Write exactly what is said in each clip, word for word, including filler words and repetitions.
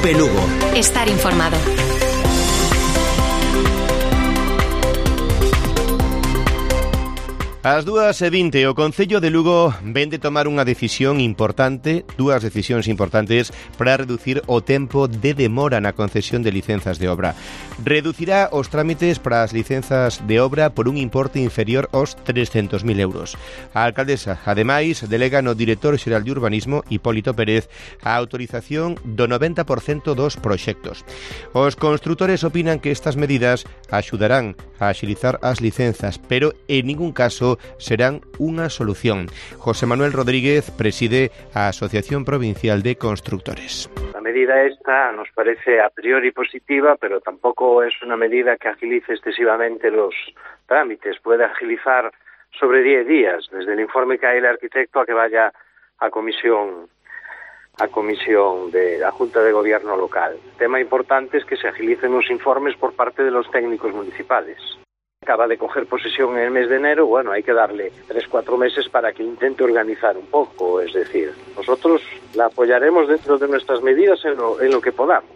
Cope Lugo. Estar informado. Ás dúas e vinte, o Concello de Lugo ven de tomar unha decisión importante, dúas decisións importantes para reducir o tempo de demora na concesión de licenzas de obra. Reducirá os trámites para as licenzas de obra por un importe inferior aos trescentos mil euros. A alcaldesa, ademais, delega no director xeral de Urbanismo, Hipólito Pérez, a autorización do noventa por cento dos proxectos. Os construtores opinan que estas medidas axudarán a axilizar as licenzas, pero en ningún caso serán unha solución. José Manuel Rodríguez preside a Asociación Provincial de Constructores. La medida esta nos parece a priori positiva, pero tampoco es una medida que agilice excesivamente los trámites. Puede agilizar sobre diez días, desde el informe que hay el arquitecto a que vaya a comisión a comisión de la Junta de Gobierno local. El tema importante es que se agilicen los informes por parte de los técnicos municipales. Acaba de coger posesión en el mes de enero, bueno, hay que darle tres, cuatro meses para que intente organizar un poco, es decir, nosotros la apoyaremos dentro de nuestras medidas en lo, en lo que podamos.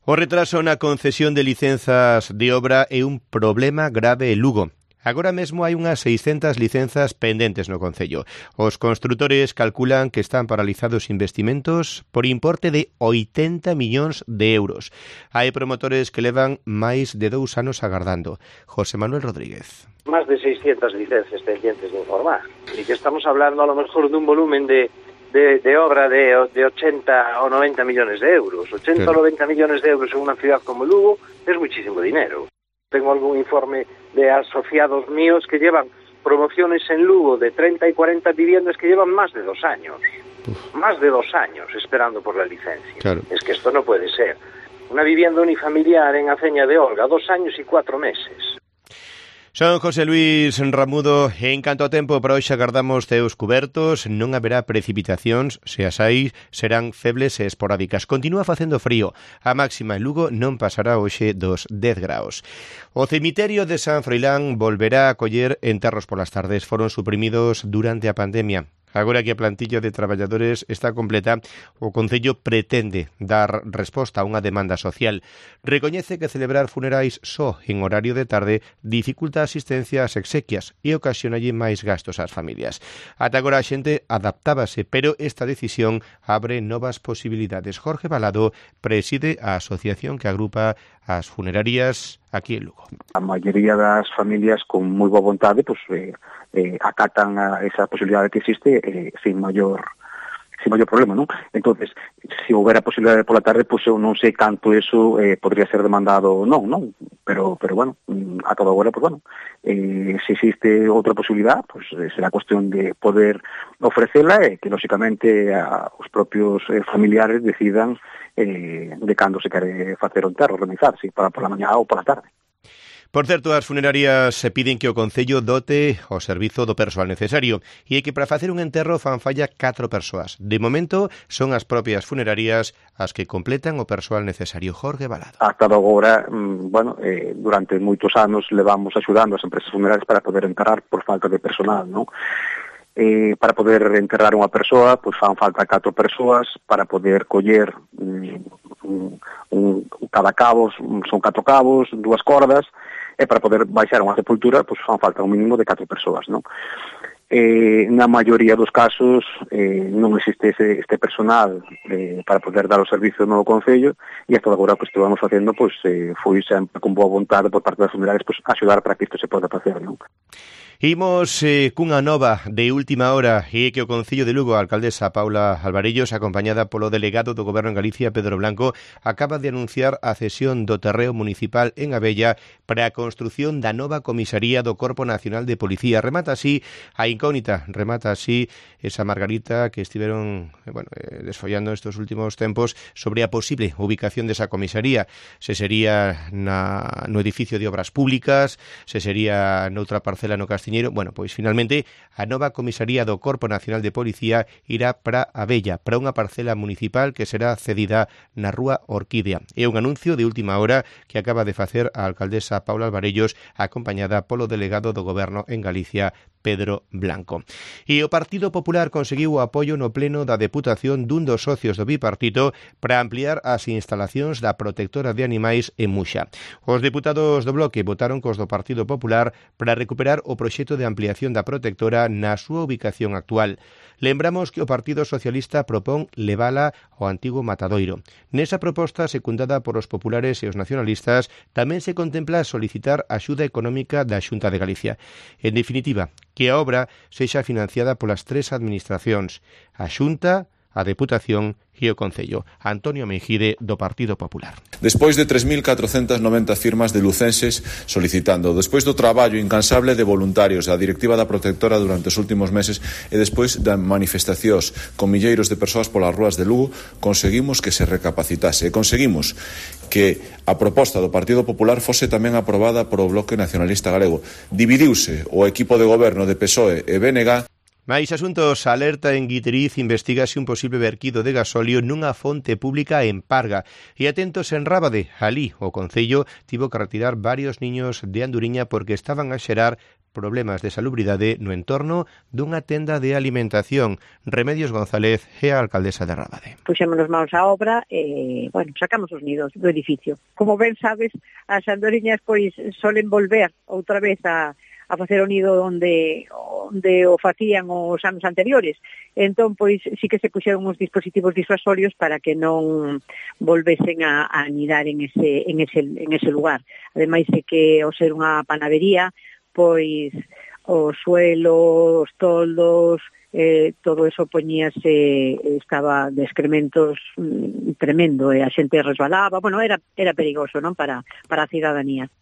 O retraso na concesión de licenzas de obra é un problema grave en Lugo. Agora mesmo hai unhas seiscentas licenzas pendentes no Concello. Os construtores calculan que están paralizados investimentos por importe de oitenta millóns de euros. Hai promotores que levan máis de dous anos agardando. José Manuel Rodríguez. Más de seiscientas licencias pendientes de informar. Y que estamos hablando a lo mejor de un volumen de, de, de obra de, de ochenta o noventa millones de euros. ochenta o noventa millones de euros en una ciudad como Lugo es muchísimo dinero. Tengo algún informe de asociados míos que llevan promociones en Lugo de treinta y cuarenta viviendas que llevan más de dos años. Uf. Más de dos años esperando por la licencia. Claro. Es que esto no puede ser. Una vivienda unifamiliar en Aceña de Olga, dos años y cuatro meses. Son José Luis Ramudo. En canto a tempo, para hoxe agardamos ceos cubertos, non haberá precipitacións, se as hai serán febles e esporádicas. Continúa facendo frío. A máxima en Lugo non pasará hoxe dos dez graus. O cemiterio de San Froilán volverá a coller enterros polas tardes. Foron suprimidos durante a pandemia. Agora que a plantilla de traballadores está completa, o Concello pretende dar resposta a unha demanda social. Recoñece que celebrar funerais só en horario de tarde dificulta a asistencia ás exequias e ocasionalle máis gastos ás familias. Ata agora a xente adaptábase, pero esta decisión abre novas posibilidades. Jorge Balado preside a asociación que agrupa as funerarias aquí en Lugo. A maioría das familias con moi boa vontade, pois, eh, eh, acatan a esa posibilidade que existe eh, sin maior sin maior problema, non? Entonces, se houbera posibilidade pola tarde, pois eu non sei canto eso eh, podría ser demandado ou non, non? Pero, pero bueno, a todo agora, pois bueno, eh, se existe outra posibilidade, pois eh, será cuestión de poder ofrecela e que, lóxicamente, a, os propios eh, familiares decidan eh, de cando se quere facer o enterro, organizarse, para pola mañá ou pola tarde. Por certo, as funerarias se piden que o Concello dote o servizo do persoal necesario e que para facer un enterro fan falla catro persoas. De momento, son as propias funerarias as que completan o persoal necesario. Jorge Balado. Hasta agora, bueno, eh, durante moitos anos levamos axudando as empresas funerarias para poder enterrar por falta de personal, non? Eh, para poder enterrar unha persoa, pois fan falta catro persoas, para poder coller um, un, un, cada cabo, son catro cabos, dúas cordas, e para poder baixar unha sepultura, pois fan falta un mínimo de catro persoas, non? Eh, na maioría dos casos eh, non existe ese, este personal eh, para poder dar o servicio no Concello, e hasta agora que estivemos facendo, pois eh, foi sempre con boa vontade por parte das funerarias, pois axudar para que isto se poda facer, non? Imos eh, cunha nova de última hora e que o Concello de Lugo, a alcaldesa Paula Alvarellos, acompañada polo delegado do Goberno en Galicia, Pedro Blanco, acaba de anunciar a cesión do terreo municipal en Abella para a construción da nova comisaría do Corpo Nacional de Policía. Remata así a incógnita, remata así esa margarita que estiveron eh, bueno, eh, desfollando estes últimos tempos sobre a posible ubicación desa comisaría. Se sería na, no edificio de obras públicas, se sería noutra parcela no Castiñeiro. Bueno, pois finalmente a nova comisaría do Corpo Nacional de Policía irá para Abella, para unha parcela municipal que será cedida na Rúa Orquídea. É un anuncio de última hora que acaba de facer a alcaldesa Paula Alvarellos, acompañada polo delegado do Goberno en Galicia, Pedro Blanco. E o Partido Popular conseguiu o apoio no pleno da Deputación dun dos socios do bipartito para ampliar as instalacións da protectora de animais en Muxa. Os deputados do Bloque votaron cos do Partido Popular para recuperar o proxecto de ampliación da protectora na súa ubicación actual. Lembramos que o Partido Socialista propón levala ao antigo matadoiro. Nesa proposta, secundada por os populares e os nacionalistas, tamén se contempla solicitar axuda económica da Xunta de Galicia. En definitiva, que a obra sexa financiada polas tres administracións, a Xunta, a Deputación e o Concello. Antonio Mejide, do Partido Popular. Despois de tres mil catrocentas noventa firmas de lucenses solicitando, despois do traballo incansable de voluntarios da Directiva da Protectora durante os últimos meses e despois das manifestacións con milleiros de persoas polas rúas de Lugo, conseguimos que se recapacitase e conseguimos que a proposta do Partido Popular fose tamén aprobada por o Bloque Nacionalista Galego. Dividiuse o equipo de goberno de P S O E e B N G. Mais asuntos, alerta en Guiteriz, investigase un posible verquido de gasóleo nunha fonte pública en Parga. E atentos en Rábade, alí o Concello tivo que retirar varios niños de Anduriña porque estaban a xerar problemas de salubridade no entorno dunha tenda de alimentación. Remedios González é a alcaldesa de Rábade. Puxémonos manos á obra e, bueno, sacamos os nidos do edificio. Como ben sabes, as andoriñas pois solen volver outra vez a a facer o nido onde, onde o facían os anos anteriores. Entón, pois, sí que se puxeron uns dispositivos disuasorios para que non volvesen a, a anidar en ese, en, ese, en ese lugar. Ademais de que, ao ser unha panadería, pois, o suelo, os toldos, eh, todo eso poñíase, estaba de excrementos mm, tremendo, e a xente resbalaba, bueno, era, era perigoso, non, para, para a cidadanía.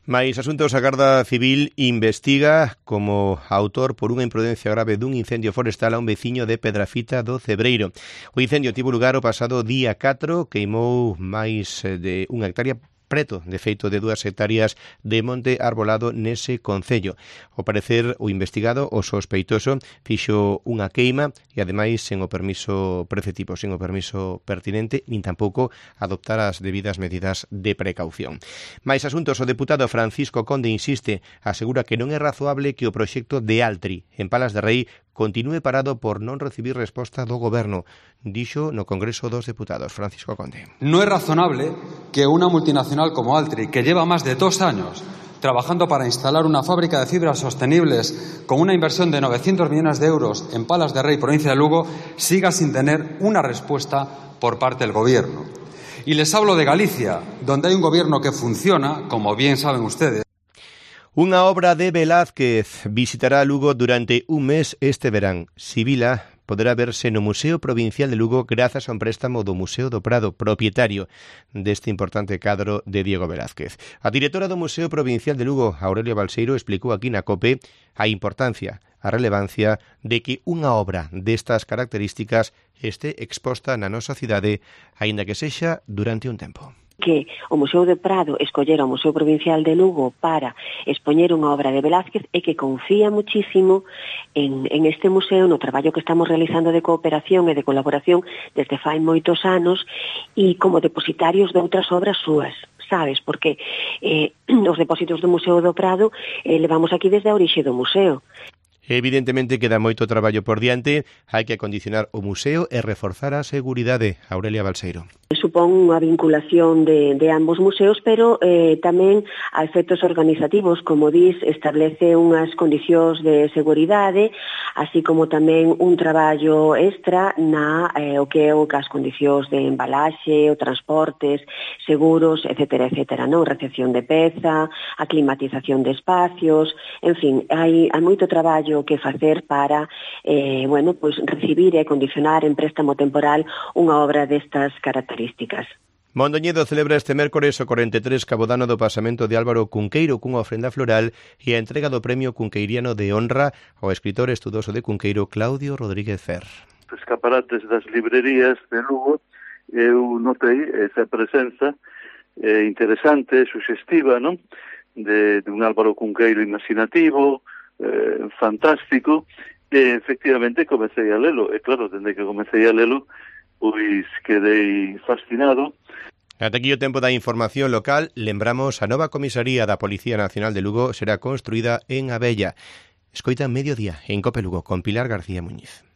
Mais asuntos, a Garda Civil investiga como autor por unha imprudencia grave dun incendio forestal a un veciño de Pedrafita do Cebreiro. O incendio tivo lugar o pasado día catro, queimou máis de unha hectárea, preto, de feito, de dúas hectáreas de monte arbolado nese concello. Ao parecer, o investigado, o sospeitoso, fixo unha queima e, ademais, sen o permiso preceptivo, sen o permiso pertinente, nin tampouco adoptar as debidas medidas de precaución. Mais asuntos, o deputado Francisco Conde insiste, asegura que non é razoable que o proxecto de Altri, en Palas de Rei, continúe parado por non recibir resposta do Goberno, dixo no Congreso dos Deputados. Francisco Conde. No es razonable que una multinacional como Altri, que lleva más de dos años trabajando para instalar una fábrica de fibras sostenibles con una inversión de novecientos millones de euros en Palas de Rei, provincia de Lugo, siga sin tener una respuesta por parte del Gobierno. Y les hablo de Galicia, donde hay un Gobierno que funciona, como bien saben ustedes. Unha obra de Velázquez visitará Lugo durante un mes este verán. Sibila poderá verse no Museo Provincial de Lugo grazas a un préstamo do Museo do Prado, propietario deste importante cadro de Diego Velázquez. A directora do Museo Provincial de Lugo, Aurelia Balseiro, explicou aquí na COPE a importancia, a relevancia de que unha obra destas características este exposta na nosa cidade, aínda que sexa durante un tempo. Que o Museo do Prado escollera o Museo Provincial de Lugo para expoñer unha obra de Velázquez e que confía muchísimo en, en este museo, no traballo que estamos realizando de cooperación e de colaboración desde fai moitos anos e como depositarios de outras obras súas, sabes? Porque eh, os depósitos do Museo do Prado eh, levamos aquí desde a orixe do museo. Evidentemente queda moito traballo por diante, hai que acondicionar o museo e reforzar a seguridade. Aurelia Balseiro. Supón unha vinculación de, de ambos museos, pero eh, tamén a efectos organizativos, como dis, establece unhas condicións de seguridade, así como tamén un traballo extra na eh, o que é o que as condicións de embalaxe, o transportes, seguros, etcétera, etcétera, non? Recepción de peza, a climatización de espacios, en fin, hai, hai moito traballo que facer para eh, bueno, pues, recibir e condicionar en préstamo temporal unha obra destas características. Mondoñedo celebra este mércores o corenta e tres cabodano do pasamento de Álvaro Cunqueiro cunha ofrenda floral e a entrega do premio cunqueiriano de honra ao escritor estudoso de Cunqueiro Claudio Rodríguez Fer. Os escaparates das librerías de Lugo, eu notei esa presenza eh, interesante, suxestiva, non? De, de un Álvaro Cunqueiro imaginativo, Eh, fantástico, e efectivamente comecei a lelo, e claro, dende que comecei a lelo, pois quedei fascinado. Ata aquí o tempo da información local. Lembramos, a nova comisaría da Policía Nacional de Lugo será construída en Abella. Escoita Mediodía en Cope Lugo con Pilar García Muñiz.